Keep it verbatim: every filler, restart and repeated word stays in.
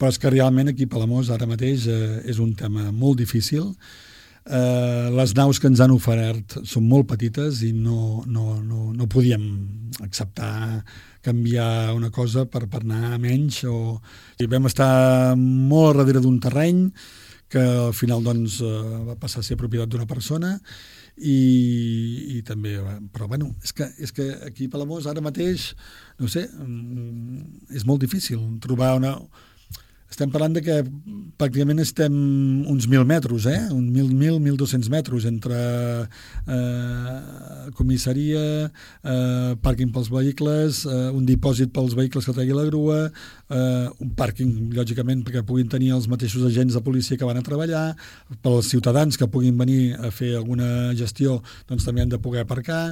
però és que realment aquí a Palamós ara mateix eh, és un tema molt difícil. Eh, les naus que ens han ofert són molt petites i no, no, no, no podíem acceptar canviar una cosa per, per anar a menys. O... I vam estar molt darrere d'un terreny que al final doncs, eh, va passar a ser propietat d'una persona i, i també, però bueno, és que, és que aquí a Palamós ara mateix, no sé, és molt difícil trobar una... Estem parlant de que pràcticament estem uns mil metres, eh? Un mil, mil, mil dos-cents metres entre eh, comissaria, eh, pàrquing pels vehicles, eh, un dipòsit pels vehicles que tregui la grua, eh, un pàrquing, lògicament, perquè puguin tenir els mateixos agents de policia que van a treballar, pels ciutadans que puguin venir a fer alguna gestió, doncs també han de poder aparcar.